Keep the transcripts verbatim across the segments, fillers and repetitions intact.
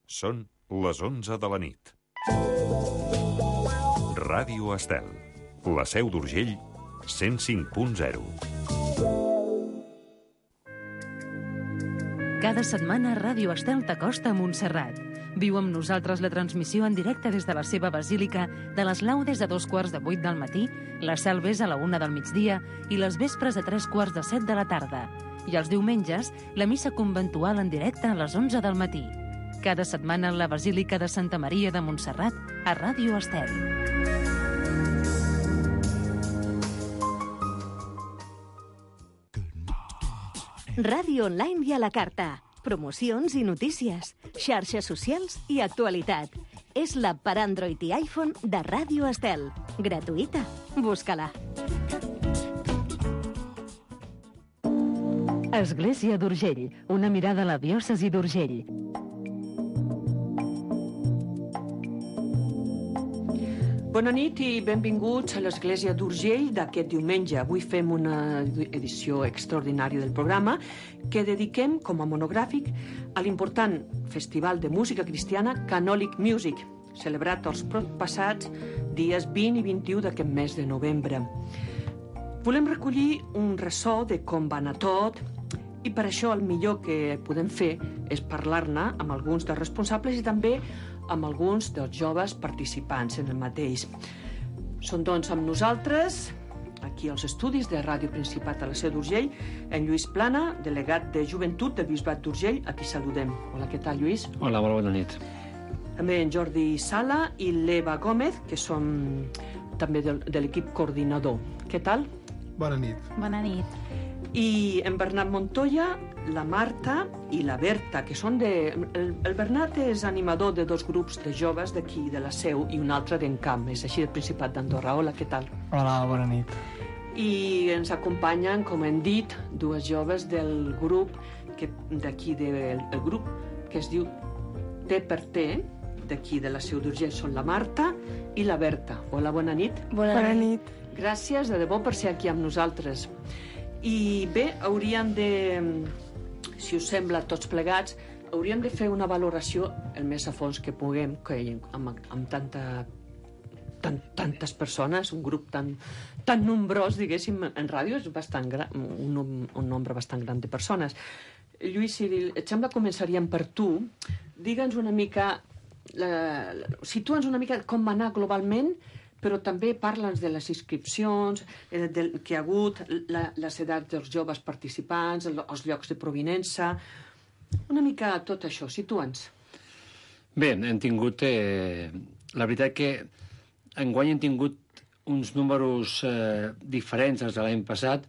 Són les onze de la nit. Ràdio Estel, la Seu d'Urgell, cent cinc punt zero. Cada setmana Ràdio Estel t'acosta a Montserrat. Viu amb nosaltres la transmissió en directe des de la seva basílica de les laudes a dos quarts de vuit del matí, les salves a la una del migdia i les vespres a tres quarts de set de la tarda. I els diumenges, la missa conventual en directe a les onze del matí. Cada setmana la Basílica de Santa Maria de Montserrat a Ràdio Estel. Ràdio online i a la carta. Promocions i notícies, xarxes socials i actualitat. És l'app per Android i iPhone de Ràdio Estel. Gratuïta. Busca-la. Església d'Urgell, una mirada a la diòcesi d'Urgell. Bona nit i benvinguts a l'Església d'Urgell d'aquest diumenge. Avui fem una edició extraordinària del programa que dediquem com a monogràfic a l'important Festival de Música Cristiana Canòlic Music, celebrat els passats dies vint i vint-i-u d'aquest mes de novembre. Volem recollir un ressò de com va anar tot i per això el millor que podem fer és parlar-ne amb alguns dels responsables i també amb alguns dels joves participants en el mateix. Són doncs amb nosaltres, aquí als estudis de Ràdio Principat a la Seu d'Urgell, en Lluís Plana, delegat de Joventut del Bisbat d'Urgell, a qui saludem. Hola, què tal, Lluís? Hola, molt bona nit. També en Jordi Sala i l'Eva Gómez, que som també de, de l'equip coordinador. Què tal? Bona nit. Bona nit. I en Bernat Montoya, la Marta i la Berta, que són de... El, el Bernat és animador de dos grups de joves d'aquí, de la Seu, i un altre d'Encamp, és així del Principat d'Andorra. Hola, què tal? Hola, bona nit. I ens acompanyen, com hem dit, dues joves del grup que d'aquí, del el grup que es diu T per T, d'aquí de la Seu d'Urgell, són la Marta i la Berta. Hola, bona nit. Bona, bona nit. nit. Gràcies, de debò, per ser aquí amb nosaltres. I bé, hauríem de, si us sembla, tots plegats, hauríem de fer una valoració el més a fons que puguem, que amb, amb tanta, tan, tantes persones, un grup tan, tan nombrós, diguéssim, en ràdio és bastant gran, un, un nombre bastant gran de persones. Lluís, si et sembla, començaríem per tu. Digue'ns una mica, la, situa'ns una mica com va anar globalment, però també parla'ns de les inscripcions, eh, del que hi ha hagut, la, les edats dels joves participants, els llocs de provinença, una mica tot això, situa'ns. Bé, hem tingut... Eh, la veritat que enguany hem tingut uns números eh, diferents dels de l'any passat,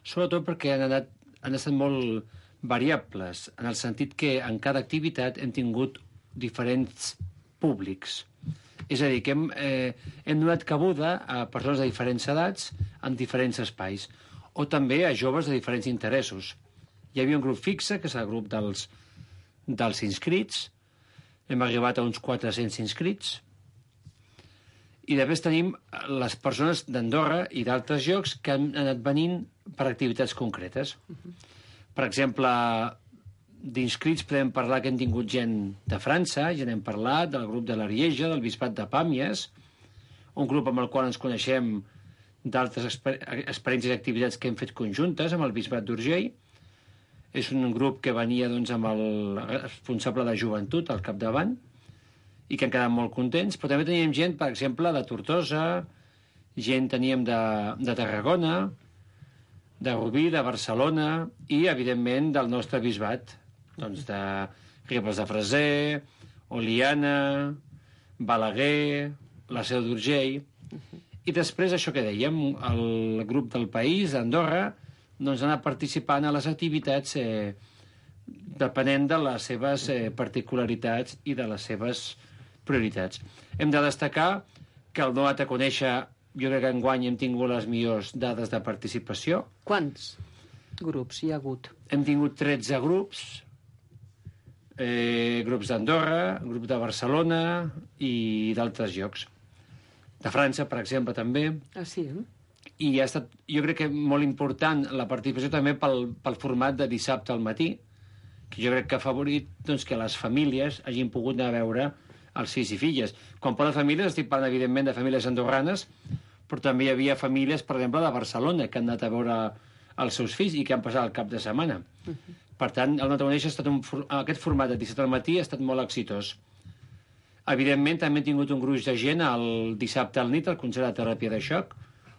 sobretot perquè han, anat, han estat molt variables, en el sentit que en cada activitat hem tingut diferents públics. És a dir, que hem, eh, hem donat cabuda a persones de diferents edats en diferents espais, o també a joves de diferents interessos. Hi havia un grup fixe, que és el grup dels, dels inscrits, hem arribat a uns quatre-cents inscrits, i després tenim les persones d'Andorra i d'altres llocs que han anat venint per activitats concretes. Uh-huh. Per exemple, d'inscrits podem parlar que hem tingut gent de França, ja n'hem parlat, del grup de l'Arieja, del Bisbat de Pàmies, un grup amb el qual ens coneixem d'altres exper experiències i activitats que hem fet conjuntes amb el Bisbat d'Urgell. És un grup que venia doncs, amb el responsable de joventut al capdavant i que han quedat molt contents, però també teníem gent, per exemple, de Tortosa, gent teníem de, de Tarragona, de Rubí, de Barcelona i, evidentment, del nostre bisbat, doncs de Ribes de Freser, Oliana, Balaguer, la Seu d'Urgell. I després, això que dèiem, el grup del país, d'Andorra, doncs ha anat participant a les activitats eh, depenent de les seves eh, particularitats i de les seves prioritats. Hem de destacar que el donat a conèixer, jo crec que enguany hem tingut les millors dades de participació. Quants grups hi ha hagut? Hem tingut tretze grups, eh, grups d'Andorra, grup de Barcelona i d'altres llocs. De França, per exemple, també. Ah, sí, eh? I ha estat, jo crec que molt important la participació també pel, pel format de dissabte al matí, que jo crec que ha afavorit doncs, que les famílies hagin pogut anar a veure els fills i filles. Quan parlo de famílies, estic parlant, evidentment, de famílies andorranes, però també hi havia famílies, per exemple, de Barcelona, que han anat a veure els seus fills i que han passat el cap de setmana. Uh-huh. Per tant, el Nataneix ha estat un, aquest format de disset al matí ha estat molt exitós. Evidentment, també hem tingut un gruix de gent el dissabte al nit, al concert de teràpia de xoc,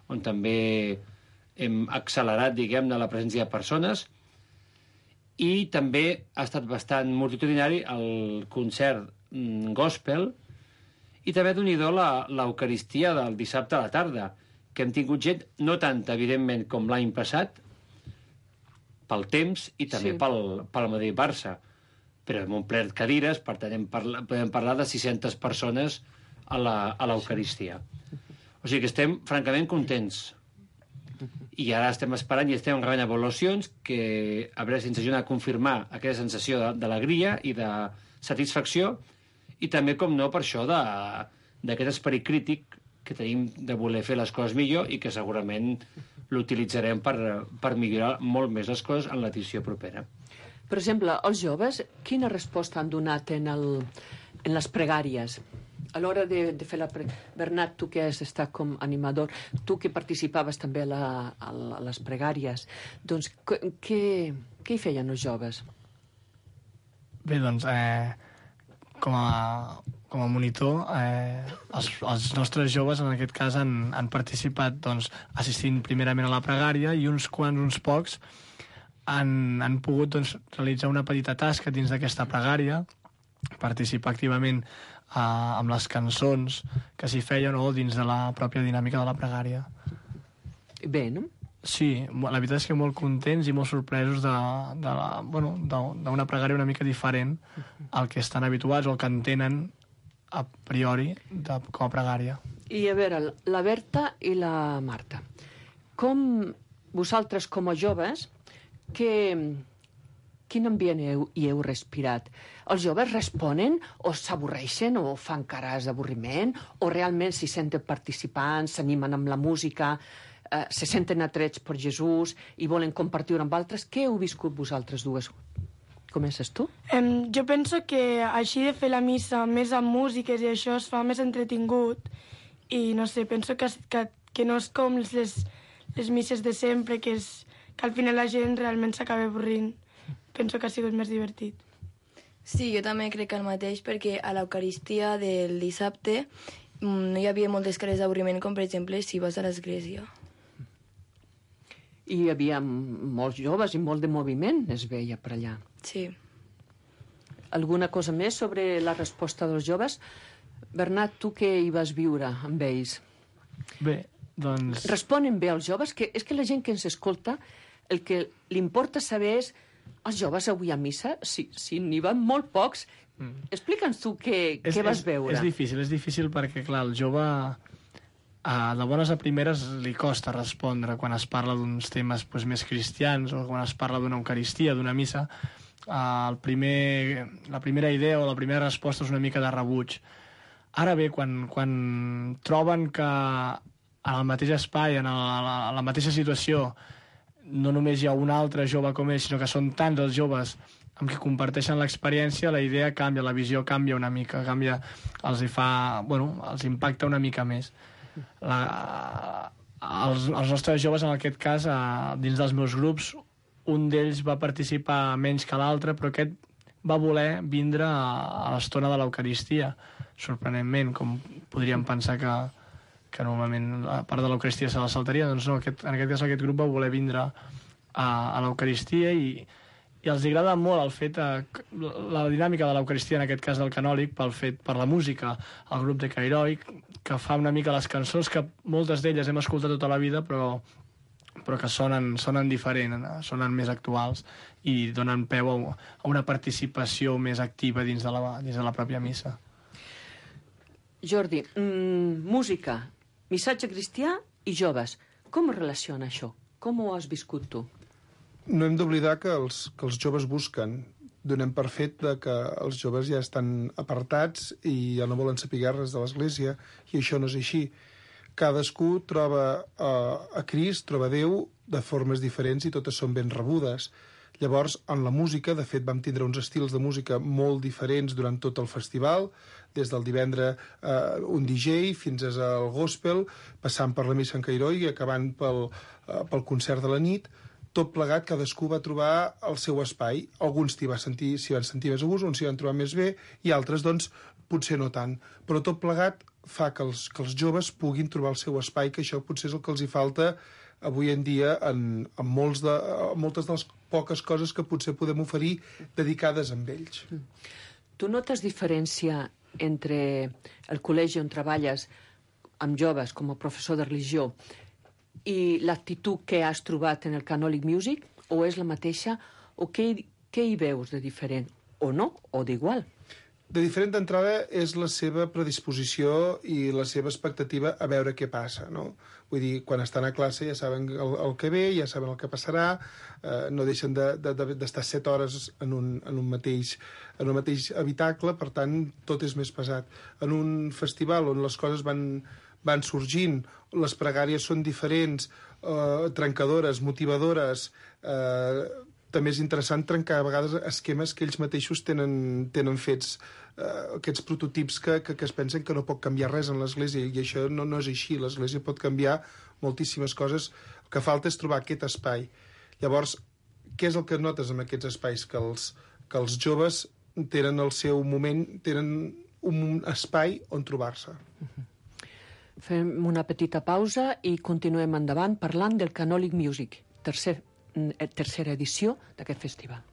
on també hem accelerat, diguem-ne, la presència de persones, i també ha estat bastant multitudinari el concert mm, gospel, i també donidor l'Eucaristia del dissabte a la tarda, que hem tingut gent, no tanta, evidentment, com l'any passat, pel temps i també sí. pel, pel Madrid-Barça, però hem omplert cadires, per tant, parla, podem parlar de sis-centes persones a l'Eucaristia. Sí. O sigui que estem, francament, contents. I ara estem esperant i estem rebent avaluacions que a veure si ens ajuden a confirmar aquesta sensació d'alegria i de satisfacció, i també, com no, per això d'aquest esperit crític que tenim de voler fer les coses millor i que segurament l'utilitzarem per, per millorar molt més les coses en l'edició propera. Per exemple, els joves, quina resposta han donat en, el, en les pregàries? A l'hora de, de fer la pregària... Bernat, tu que has estat com animador, tu que participaves també a, la, a, la, a les pregàries, doncs què, què hi feien els joves? Bé, doncs, eh, com, a, com a monitor, eh, els, els nostres joves, en aquest cas, han, han participat doncs, assistint primerament a la pregària i uns quants, uns pocs, han, han pogut doncs, realitzar una petita tasca dins d'aquesta pregària, participar activament eh, amb les cançons que s'hi feien o dins de la pròpia dinàmica de la pregària. Bé, no? Sí, la veritat és que molt contents i molt sorpresos de, de la, bueno, d'una pregària una mica diferent al que estan habituats o el que entenen a priori de, com a pregària. I a veure, la Berta i la Marta, com vosaltres com a joves, que, quin ambient heu, hi heu respirat? Els joves responen o s'avorreixen o fan cares d'avorriment o realment s'hi senten participants, s'animen amb la música, eh, se senten atrets per Jesús i volen compartir-ho amb altres? Què heu viscut vosaltres dues? Comences tu? Um, jo penso que així de fer la missa més amb músiques i això es fa més entretingut i no sé, penso que, que, que no és com les, les misses de sempre, que, és, que al final la gent realment s'acaba avorrint. Penso que ha sigut més divertit. Sí, jo també crec el mateix, perquè a l'Eucaristia del dissabte no hi havia moltes cares d'avorriment, com per exemple si vas a l'església. I hi havia molts joves i molt de moviment, es veia per allà. Sí. Alguna cosa més sobre la resposta dels joves? Bernat, tu què hi vas viure amb ells? Bé, doncs... Responen bé els joves? Que és que la gent que ens escolta, el que li importa saber és els joves avui a missa, si, si n'hi van molt pocs, mm. explica'ns tu què, és, què vas és, veure. És difícil, és difícil perquè, clar, el jove a de bones a primeres li costa respondre quan es parla d'uns temes pues, més cristians o quan es parla d'una eucaristia, d'una missa. Uh, el primer, la primera idea o la primera resposta és una mica de rebuig. Ara bé, quan, quan troben que en el mateix espai, en el, la, la mateixa situació, no només hi ha un altre jove com ells, sinó que són tants els joves amb qui comparteixen l'experiència, la idea canvia, la visió canvia una mica, canvia, els hi fa, bueno, els impacta una mica més. La, els, els nostres joves, en aquest cas, a, dins dels meus grups, un d'ells va participar menys que l'altre, però aquest va voler vindre a, a l'estona de l'Eucaristia, sorprenentment, com podríem pensar que, que normalment la part de l'Eucaristia se la saltaria, doncs no, aquest, en aquest cas aquest grup va voler vindre a, a l'Eucaristia i, i els agrada molt el fet, eh, la dinàmica de l'Eucaristia, en aquest cas del canòlic, pel fet, per la música, el grup de Cairoi, que fa una mica les cançons que moltes d'elles hem escoltat tota la vida, però, però que sonen, sonen diferent, sonen més actuals i donen peu a, a una participació més activa dins de la, dins de la pròpia missa. Jordi, mm, música, missatge cristià i joves. Com es relaciona això? Com ho has viscut tu? No hem d'oblidar que els, que els joves busquen. Donem per fet de que els joves ja estan apartats i ja no volen saber res de l'Església, i això no és així. Cadascú troba uh, a Crist, troba Déu de formes diferents i totes són ben rebudes. Llavors, en la música, de fet, vam tindre uns estils de música molt diferents durant tot el festival, des del divendres eh, un D J fins al gospel, passant per la missa en Cairó i acabant pel, eh, pel concert de la nit. Tot plegat, cadascú va trobar el seu espai. Alguns s'hi va sentir, s'hi van sentir més a gust, uns s'hi van trobar més bé, i altres, doncs, potser no tant. Però tot plegat fa que els, que els joves puguin trobar el seu espai, que això potser és el que els hi falta avui en dia en, en, molts de, en moltes de les poques coses que potser podem oferir dedicades a ells. Tu notes diferència entre el col·legi on treballes amb joves com a professor de religió i l'actitud que has trobat en el Canonic Music, o és la mateixa, o què, què hi veus de diferent? O no, o d'igual? De diferent d'entrada és la seva predisposició i la seva expectativa a veure què passa, no? Vull dir, quan estan a classe ja saben el, el que ve, ja saben el que passarà, eh, no deixen d'estar de, de, de set hores en un, en, un mateix, en un mateix habitacle, per tant, tot és més pesat. En un festival on les coses van, van sorgint, les pregàries són diferents, eh, trencadores, motivadores, eh, també és interessant trencar a vegades esquemes que ells mateixos tenen, tenen fets, eh, aquests prototips que, que, que es pensen que no pot canviar res en l'Església, i això no, no és així. L'Església pot canviar moltíssimes coses. El que falta és trobar aquest espai. Llavors, què és el que notes en aquests espais? Que els, que els joves tenen el seu moment, tenen un espai on trobar-se. Fem una petita pausa i continuem endavant parlant del Canonic Music, tercer tercera edició d'aquest festival.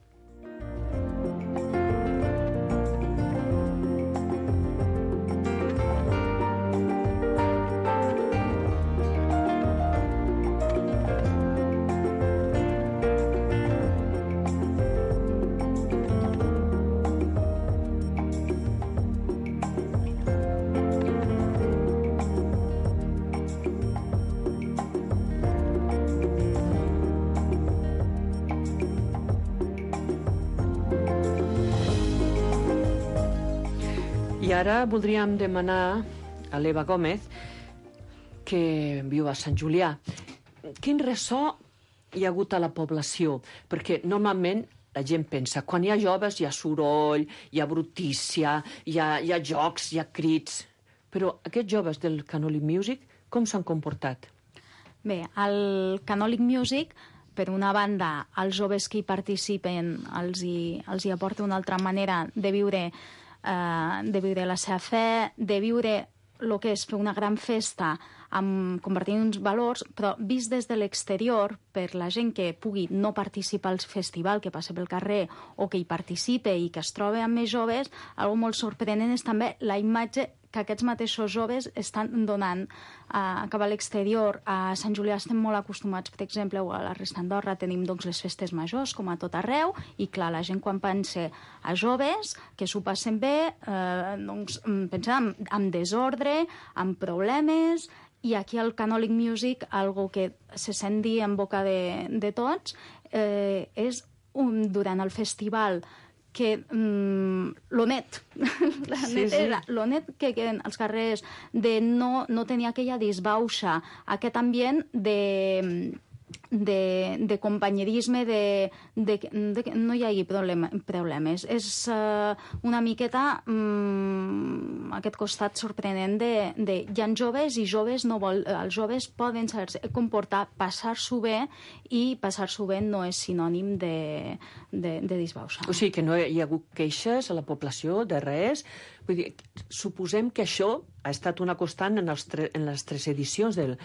I ara voldríem demanar a l'Eva Gómez, que viu a Sant Julià, quin ressò hi ha hagut a la població? Perquè normalment la gent pensa, quan hi ha joves hi ha soroll, hi ha brutícia, hi ha, hi ha jocs, hi ha crits. Però aquests joves del Canonic Music, com s'han comportat? Bé, el Canonic Music, per una banda, els joves que hi participen els hi, els hi aporta una altra manera de viure de viure la seva fe, de viure el que és fer una gran festa amb compartint uns valors, però vist des de l'exterior, per la gent que pugui no participar al festival, que passa pel carrer o que hi participe i que es troba amb més joves, algo molt sorprenent és també la imatge que aquests mateixos joves estan donant a, cap a l'exterior. A Sant Julià estem molt acostumats, per exemple, a la resta d'Andorra tenim doncs, les festes majors, com a tot arreu, i clar, la gent quan pensa a joves, que s'ho passen bé, eh, doncs pensa en, en desordre, en problemes, i aquí al Canonic Music, algo que se sent dir en boca de, de tots, eh, és un, durant el festival que mm, lo net, la sí, netera, sí. lo net que queden als carrers, de no, no tenir aquella disbauxa, aquest ambient de, de, de companyerisme, de, de, de que no hi hagi problema, problemes. És uh, una miqueta um, aquest costat sorprenent de, de hi ha joves i joves no vol, els joves poden saber comportar, passar-s'ho bé, i passar-s'ho bé no és sinònim de, de, de disbauxa. O sigui que no hi ha hagut queixes a la població de res. Vull dir, suposem que això ha estat una constant en, els tre en les tres edicions del,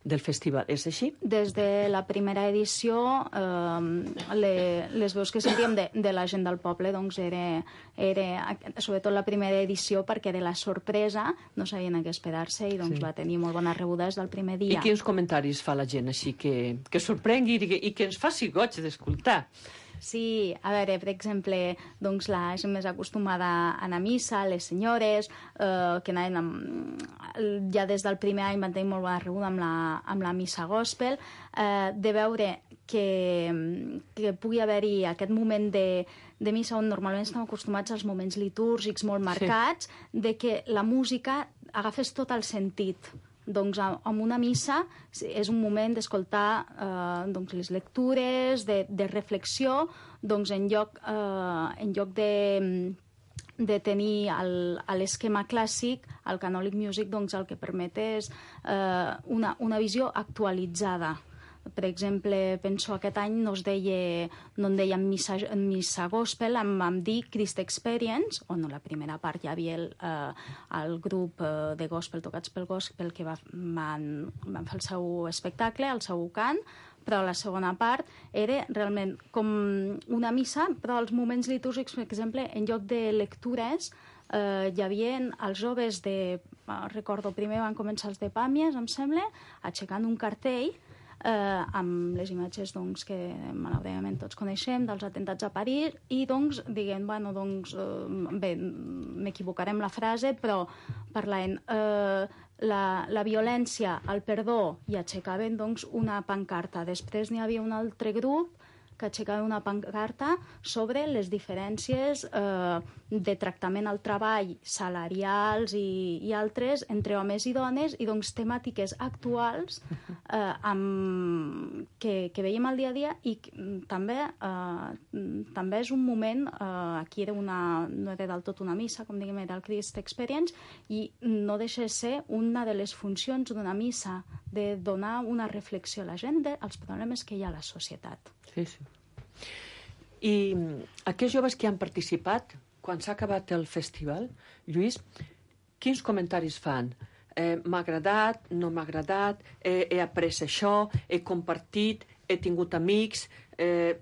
del festival. És així? Des de la primera edició, eh, le, les veus que sentíem de, de la gent del poble, doncs era, era, sobretot la primera edició, perquè de la sorpresa no sabien a què esperar-se i doncs sí. Va tenir molt bona rebuda des del primer dia. I quins comentaris fa la gent així que, que sorprengui i que, i que ens faci goig d'escoltar? Sí, a veure, per exemple, doncs la gent més acostumada a anar a missa, les senyores, eh, que anaven amb, ja des del primer any van tenir molt bona rebuda amb la, amb la missa gospel, eh, de veure que, que pugui haver-hi aquest moment de, de missa on normalment estem acostumats als moments litúrgics molt marcats, sí. De que la música agafés tot el sentit. Doncs en una missa és un moment d'escoltar eh, doncs les lectures, de, de reflexió, doncs en lloc, eh, en lloc de, de tenir el, l'esquema clàssic, el Canonic Music doncs, el que permet és eh, una, una visió actualitzada. Per exemple, penso aquest any no es deia, no en deien missa, missa gospel, em vam dir Christ Experience, on a la primera part hi havia el, eh, el grup eh, de gospel tocats pel gospel que va, van, van fer el seu espectacle, el seu cant, però la segona part era realment com una missa, però els moments litúrgics, per exemple, en lloc de lectures, eh, hi havia els joves de, recordo, primer van començar els de Pàmies, em sembla, aixecant un cartell eh, amb les imatges doncs, que malauradament tots coneixem dels atentats a París i doncs diguem, bueno, doncs, eh, bé, m'equivocaré amb la frase, però parlant eh, la, la violència, el perdó, i aixecaven doncs, una pancarta. Després n'hi havia un altre grup que aixecava una pancarta sobre les diferències eh, de tractament al treball, salarials i, i altres entre homes i dones, i doncs temàtiques actuals eh, amb, que, que veiem al dia a dia, i també, eh, també és un moment, eh, aquí era una, no era del tot una missa, com diguem, era el Christ Experience, i no deixa de ser una de les funcions d'una missa, de donar una reflexió a la gent dels problemes que hi ha a la societat. Sí, sí. I aquests joves que han participat, quan s'ha acabat el festival, Lluís, quins comentaris fan? Eh, m'ha agradat, no m'ha agradat, eh, he après això, he compartit, he tingut amics... Eh,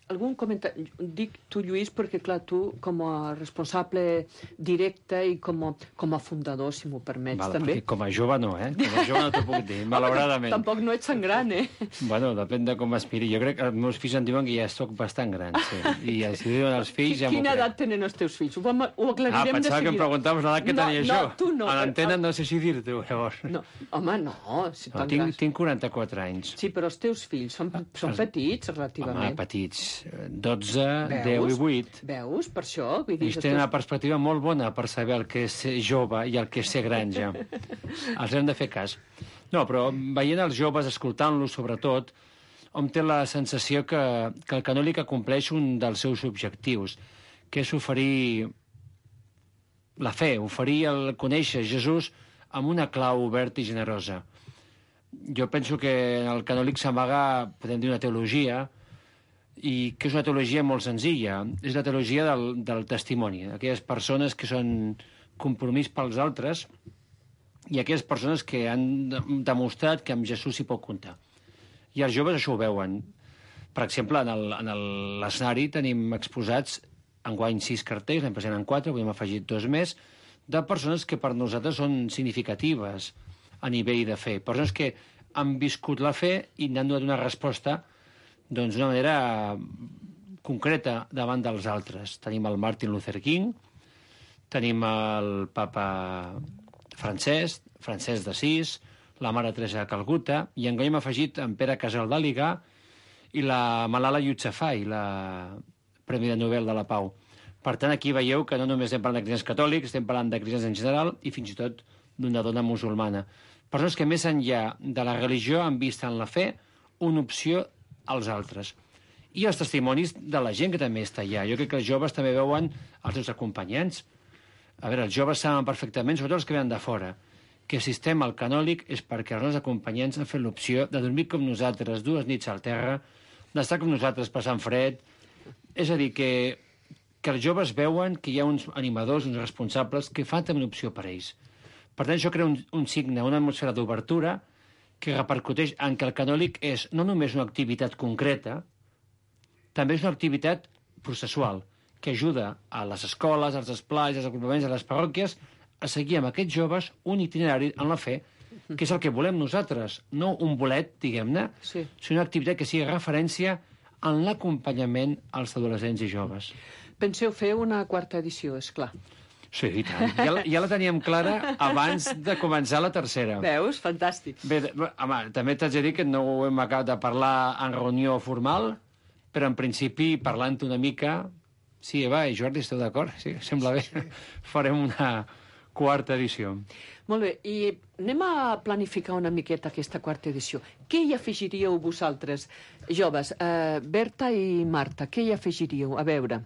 algun comentari? Dic tu, Lluís, perquè, clar, tu, com a responsable directe i com a, com a fundador, si m'ho permets, vale, també. Com a jove no, eh? Com a jove no t'ho puc dir, malauradament. Tampoc no ets tan gran, eh? Bueno, depèn de com aspiri. Jo crec que els meus fills em diuen que ja sóc bastant gran, sí. I si diuen els fills ja m'ho crec. Quina edat tenen els teus fills? Ho, vam, ho aclarirem de seguida. Ah, pensava que em preguntaves l'edat que no, tenia no, jo. Tu no. A l'antena no sé si dir-t'ho, llavors. No, home, no. Si no tinc, tinc quaranta-quatre anys. Sí, però els teus fills són, són els... petits, relativament. Home, petits. dotze, deu i vuit. Veus? Per això? Vull dir, ells tenen una perspectiva molt bona per saber el que és ser jove i el que és ser gran, ja. Els hem de fer cas. No, però veient els joves, escoltant-los, sobretot, hom té la sensació que, que el Canòlic acompleix un dels seus objectius, que és oferir la fe, oferir el conèixer Jesús amb una clau oberta i generosa. Jo penso que en el Canòlic s'amaga, podem dir, una teologia, i que és una teologia molt senzilla. És la teologia del, del testimoni, aquelles persones que són compromís pels altres i aquelles persones que han demostrat que amb Jesús s'hi pot comptar. I els joves això ho veuen. Per exemple, en l'escenari tenim exposats enguany sis cartells, l'any passat en quatre, avui hem afegit dos més, de persones que per nosaltres són significatives a nivell de fe. Persones que han viscut la fe i n'han donat una resposta doncs d'una manera concreta davant dels altres. Tenim el Martin Luther King, tenim el papa Francesc, Francesc d'Assís, la Mare Teresa de Calcuta, i enguany hem afegit en Pere Casal d'Àliga i la Malala Yousafzai, la Premi de Nobel de la Pau. Per tant, aquí veieu que no només estem parlant de cristians catòlics, estem parlant de cristians en general i fins i tot d'una dona musulmana. Persones que més enllà de la religió han vist en la fe una opció als altres. I els testimonis de la gent que també està allà. Jo crec que els joves també veuen els seus acompanyants. A veure, els joves saben perfectament, sobretot els que venen de fora, que si estem al Canòlic és perquè els nostres acompanyants han fet l'opció de dormir com nosaltres dues nits al terra, d'estar com nosaltres passant fred. És a dir, que, que els joves veuen que hi ha uns animadors, uns responsables, que fan també una opció per ells. Per tant, això crea un, un signe, una atmosfera d'obertura que repercuteix en que el Canòlic és no només una activitat concreta, també és una activitat processual, que ajuda a les escoles, als esplais, als agrupaments, a les parròquies, a seguir amb aquests joves un itinerari en la fe, que és el que volem nosaltres, no un bolet, diguem-ne, sí. sinó una activitat que sigui referència en l'acompanyament als adolescents i joves. Penseu fer una quarta edició, és clar. Sí, i tant. Ja la, ja la teníem clara abans de començar la tercera. Veus? Fantàstic. Bé, home, també t'haig de dir que no ho hem acabat de parlar en reunió formal, però en principi, parlant una mica... Sí, Eva i Jordi, esteu d'acord? Sí, sembla bé. Sí. Farem una, quarta edició. Molt bé, i anem a planificar una miqueta aquesta quarta edició. Què hi afegiríeu vosaltres, joves? Uh, Berta i Marta, què hi afegiríeu? A veure,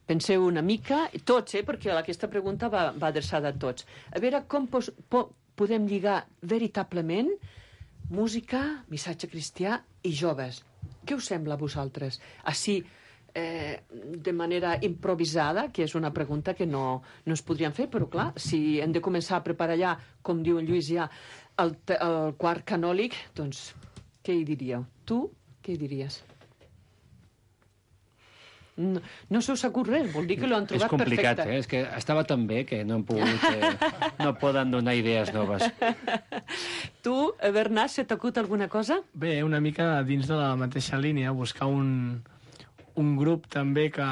penseu una mica, tots, eh, perquè aquesta pregunta va, va adreçada a tots. A veure com pos, po, podem lligar veritablement música, missatge cristià i joves. Què us sembla a vosaltres? Així, eh, de manera improvisada, que és una pregunta que no, no es podrien fer, però clar, si hem de començar a preparar ja, com diu en Lluís ja, el, el quart canòlic, doncs, què hi diríeu? Tu, què hi diries? No, no se us acut res, vol dir que l'ho han trobat perfecte. És complicat, perfecte. eh? És que estava tan bé que no hem pogut... Eh, no poden donar idees noves. Tu, Bernat, se t'acut alguna cosa? Bé, una mica dins de la mateixa línia, buscar un, un grup també que,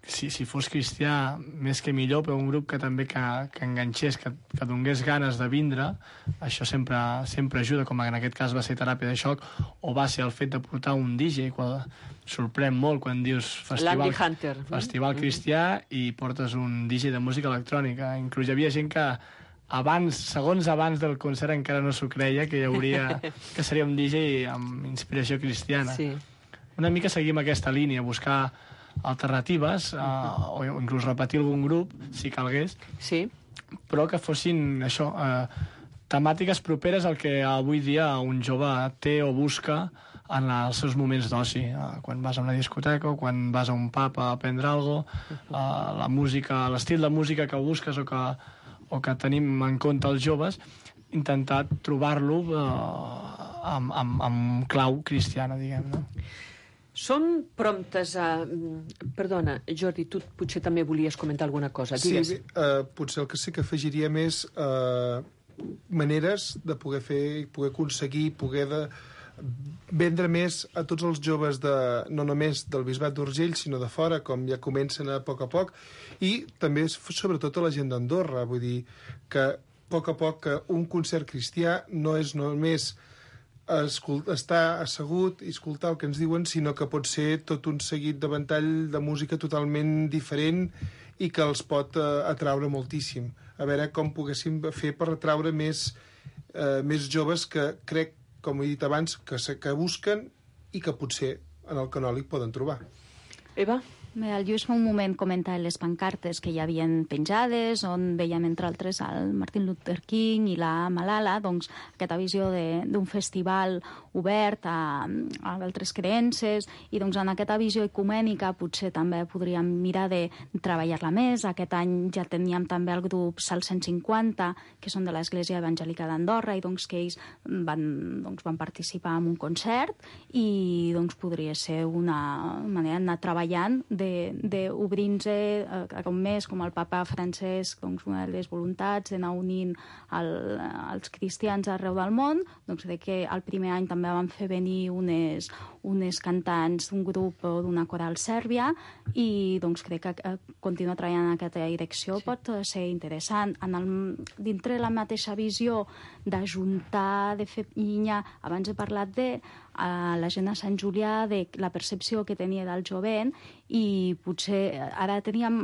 si, si fos cristià, més que millor, però un grup que també que, que enganxés, que, que donés ganes de vindre. Això sempre, sempre ajuda, com en aquest cas va ser Teràpia de Xoc, o va ser el fet de portar un D J, quan sorprèn molt quan dius festival, festival cristià i portes un D J de música electrònica. Inclús hi havia gent que abans, segons abans del concert encara no s'ho creia que hi hauria, que seria un D J amb inspiració cristiana. Sí. Una mica seguim aquesta línia, buscar alternatives, uh, o inclús repetir algun grup, si calgués, sí. Però que fossin això, uh, temàtiques properes al que avui dia un jove té o busca en els seus moments d'oci, uh, quan vas a una discoteca o quan vas a un pub a aprendre alguna cosa, uh, la música, l'estil de música que busques o que, o que tenim en compte els joves, intentar trobar-lo uh, amb, amb, amb clau cristiana, diguem, no? Són promptes a... Perdona, Jordi, tu potser també volies comentar alguna cosa. Digues. Sí, eh, potser el que sí que afegiria més eh, maneres de poder fer, poder aconseguir, poder de vendre més a tots els joves, de, no només del Bisbat d'Urgell, sinó de fora, com ja comencen a poc a poc, i també sobretot a la gent d'Andorra. Vull dir que a poc a poc que un concert cristià no és només estar assegut i escoltar el que ens diuen, sinó que pot ser tot un seguit de ventall de música totalment diferent i que els pot eh, atraure moltíssim. A veure com poguéssim fer per atraure més, eh, més joves que crec, com he dit abans, que, que busquen i que potser en el canòlic poden trobar. Eva? Bé, el Lluís fa un moment comenta les pancartes que hi havien penjades, on veiem, entre altres, el Martin Luther King i la Malala, doncs aquesta visió d'un festival obert a, a altres creences, i doncs en aquesta visió ecumènica potser també podríem mirar de treballar-la més. Aquest any ja teníem també el grup Sal cent cinquanta, que són de l'Església Evangèlica d'Andorra, i doncs que ells van, doncs, van participar en un concert, i doncs podria ser una manera d'anar treballant d'obrir-nos eh, com més, com el papa Francesc, doncs, una de les voluntats d'anar unint el, els cristians arreu del món, doncs de que el primer any també van fer venir unes, unes cantants d'un grup o d'una coral sèrbia, i doncs crec que eh, continuar treballant en aquesta direcció sí. Pot ser interessant. En el, dintre la mateixa visió d'ajuntar, de fer pinya, abans he parlat de a la gent a Sant Julià, de la percepció que tenia del jovent, i potser ara teníem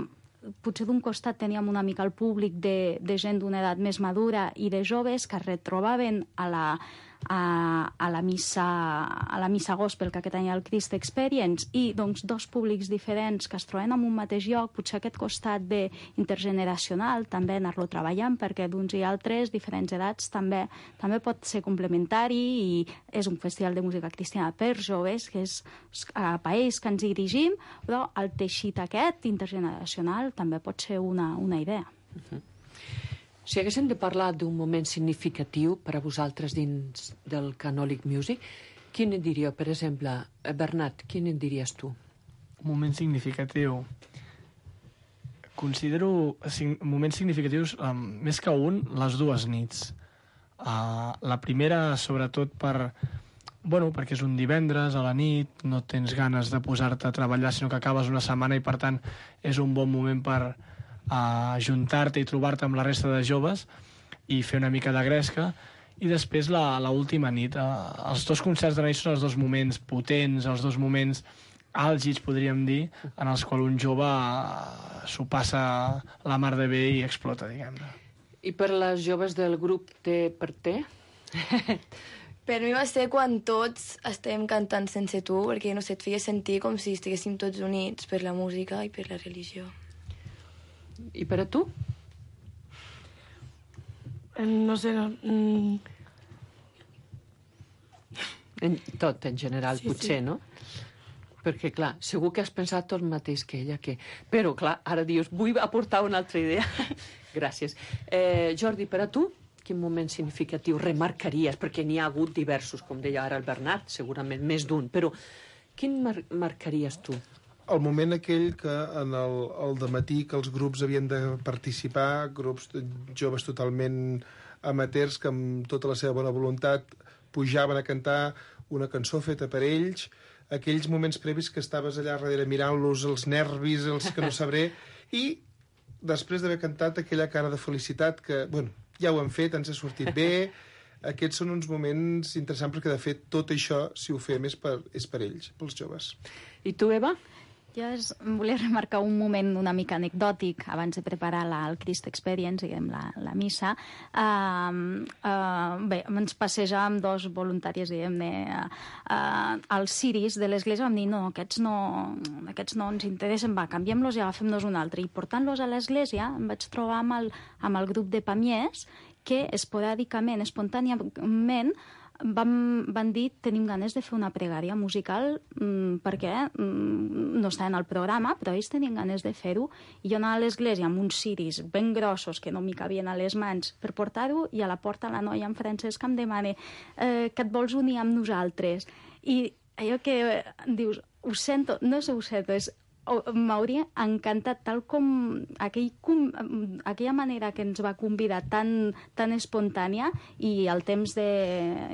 potser d'un costat teníem una mica el públic de, de gent d'una edat més madura i de joves que es retrobaven a la, a, a la missa a la missa gospel, que aquest any el Christ Experience, i doncs dos públics diferents que es troben en un mateix lloc. Potser aquest costat de intergeneracional també anar-lo treballant, perquè d'uns i altres, diferents edats, també també pot ser complementari, i és un festival de música cristiana per joves, que és a país que ens dirigim, però el teixit aquest intergeneracional també pot ser una, una idea. Uh-huh. Si haguéssim de parlar d'un moment significatiu per a vosaltres dins del Canòlic Music, quin en diríeu? Per exemple, Bernat, quin en diries tu? Un moment significatiu. Considero moments significatius, um, més que un, les dues nits. Uh, la primera, sobretot, per... Bueno, perquè és un divendres a la nit, no tens ganes de posar-te a treballar, sinó que acabes una setmana, i per tant és un bon moment per uh, ajuntar-te i trobar-te amb la resta de joves i fer una mica de gresca. I després l'última nit. Uh, els dos concerts de la nit són els dos moments potents, els dos moments àlgids, podríem dir, en els quals un jove s'ho passa la mar de bé i explota, diguem-ne. I per les joves del grup T per T? Per mi va ser quan tots estem cantant sense tu, perquè, no sé, et feia sentir com si estiguéssim tots units per la música i per la religió. I per a tu? No sé, no... Mm. En, tot, en general, Sí, potser, sí. no? Perquè, clar, segur que has pensat tot el mateix que ella, que... Però, clar, ara dius, vull aportar una altra idea. Gràcies. Eh, Jordi, per a tu, quin moment significatiu remarcaries? Perquè n'hi ha hagut diversos, com deia ara el Bernat, segurament més d'un, però quin mar marcaries tu? El moment aquell que en el, el dematí que els grups havien de participar, grups de joves totalment amateurs que amb tota la seva bona voluntat pujaven a cantar una cançó feta per ells, aquells moments previs que estaves allà darrere mirant-los, els nervis, els que no sabré, i després d'haver cantat aquella cara de felicitat que, bueno, ja ho hem fet, ens ha sortit bé. Aquests són uns moments interessants perquè, de fet, tot això, si ho fem, és per, és per ells, pels joves. I tu, Eva? Jo es, volia remarcar un moment una mica anecdòtic abans de preparar la, el Christ Experience, diguem, la, la missa. Uh, uh, bé, ens passejàvem dos voluntàries, diguem-ne, uh, als ciris de l'església. Vam dir, no, aquests no, aquests no ens interessen, va, canviem-los i agafem-nos un altre. I portant-los a l'església em vaig trobar amb el, amb el grup de pamiers que esporàdicament, espontàniament, Vam, van dir tenim ganes de fer una pregària musical mmm, perquè mmm, no està en el programa, però ells tenien ganes de fer-ho, i jo anava a l'església amb uns ciris ben grossos que no m'hi cabien a les mans per portar-ho, i a la porta la noia en francès que em demana eh, que et vols unir amb nosaltres, i allò que eh, dius, ho sento, no és ho sento, és m'hauria encantat, tal com aquell, com aquella manera que ens va convidar tan, tan espontània, i el temps de,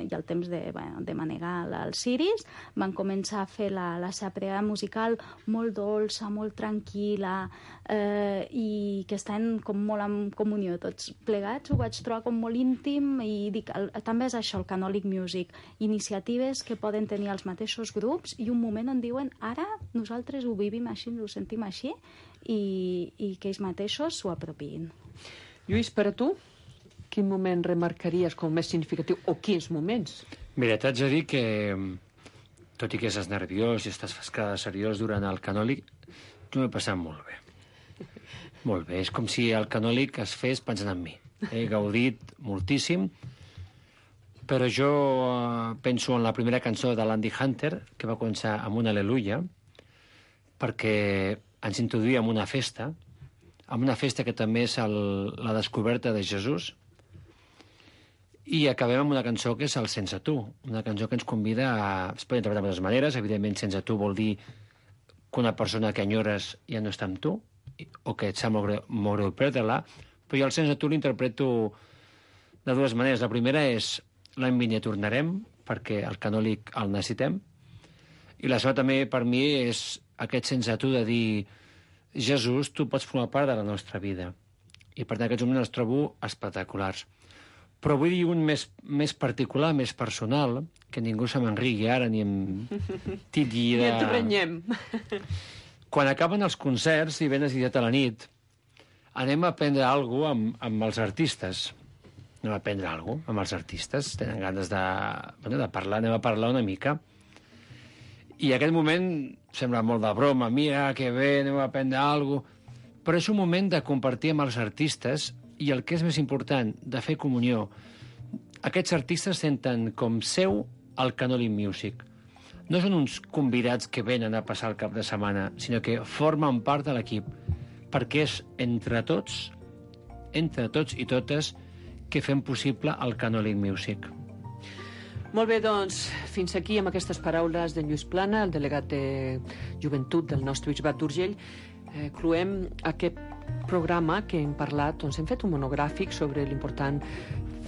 i el temps de, bueno, de manegar els ciris, van començar a fer la, la seva pregària musical molt dolça, molt tranquil·la, eh, i que estan com molt en comunió tots plegats. Ho vaig trobar com molt íntim, i dic, el, també és això el Canòlic Music, iniciatives que poden tenir els mateixos grups i un moment on diuen ara nosaltres ho vivim així, ho sentim així, i, i que ells mateixos s'ho apropiïn. Lluís, per a tu, quin moment remarcaries com més significatiu, o quins moments? Mira, t'haig de dir que, tot i que estàs nerviós i estàs fascada seriós durant el canòlic, tu m'he passat molt bé. Molt bé, és com si el canòlic es fes pensant en mi. He gaudit moltíssim, però jo penso en la primera cançó de l'Andy Hunter, que va començar amb una al·leluia, perquè ens introduïa en una festa, en una festa que també és el, la descoberta de Jesús, i acabem amb una cançó que és el Sense tu, una cançó que ens convida a... Es pot interpretar de moltes maneres, evidentment sense tu vol dir que una persona que enyores ja no està amb tu, o que et sap molt greu, molt greu perdre-la, però jo el Sense tu l'interpreto de dues maneres. La primera és l'any vinent tornarem, perquè el canòlic el necessitem, i la segona també per mi és aquest sense tu de dir Jesús, tu pots formar part de la nostra vida. I per tant aquests moments els trobo espectaculars. Però vull dir un més, més particular, més personal, que ningú se m'enrigui ara ni em titlli de... Ni et renyem. Quan acaben els concerts i venes i a la nit, anem a aprendre alguna cosa amb, amb els artistes. Anem a aprendre alguna cosa amb els artistes. Tenen ganes de, bueno, de parlar, anem a parlar una mica. I aquest moment sembla molt de broma, mira, que bé, anem a aprendre alguna cosa, però és un moment de compartir amb els artistes i el que és més important, de fer comunió. Aquests artistes senten com seu el Canòlic Music. No són uns convidats que venen a passar el cap de setmana, sinó que formen part de l'equip, perquè és entre tots, entre tots i totes, que fem possible el Canòlic Music. Molt bé, doncs, fins aquí amb aquestes paraules de Lluís Plana, el delegat de Joventut del nostre Bisbat d'Urgell. Eh, cloem aquest programa que hem parlat, doncs hem fet un monogràfic sobre l'important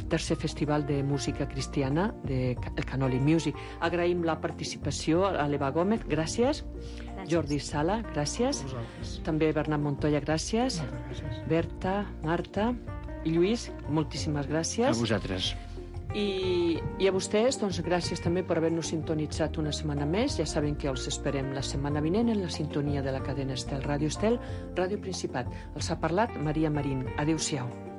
tercer festival de música cristiana, de el Canòlic Music. Agraïm la participació a l'Eva Gómez, gràcies. gràcies. Jordi Sala, gràcies. També Bernat Montoya, gràcies. gràcies. Berta, Marta i Lluís, moltíssimes gràcies. A vosaltres. I, I a vostès, doncs, gràcies també per haver-nos sintonitzat una setmana més. Ja saben que els esperem la setmana vinent en la sintonia de la cadena Estel, Ràdio Estel, Ràdio Principat. Els ha parlat Maria Marín. Adéu-siau.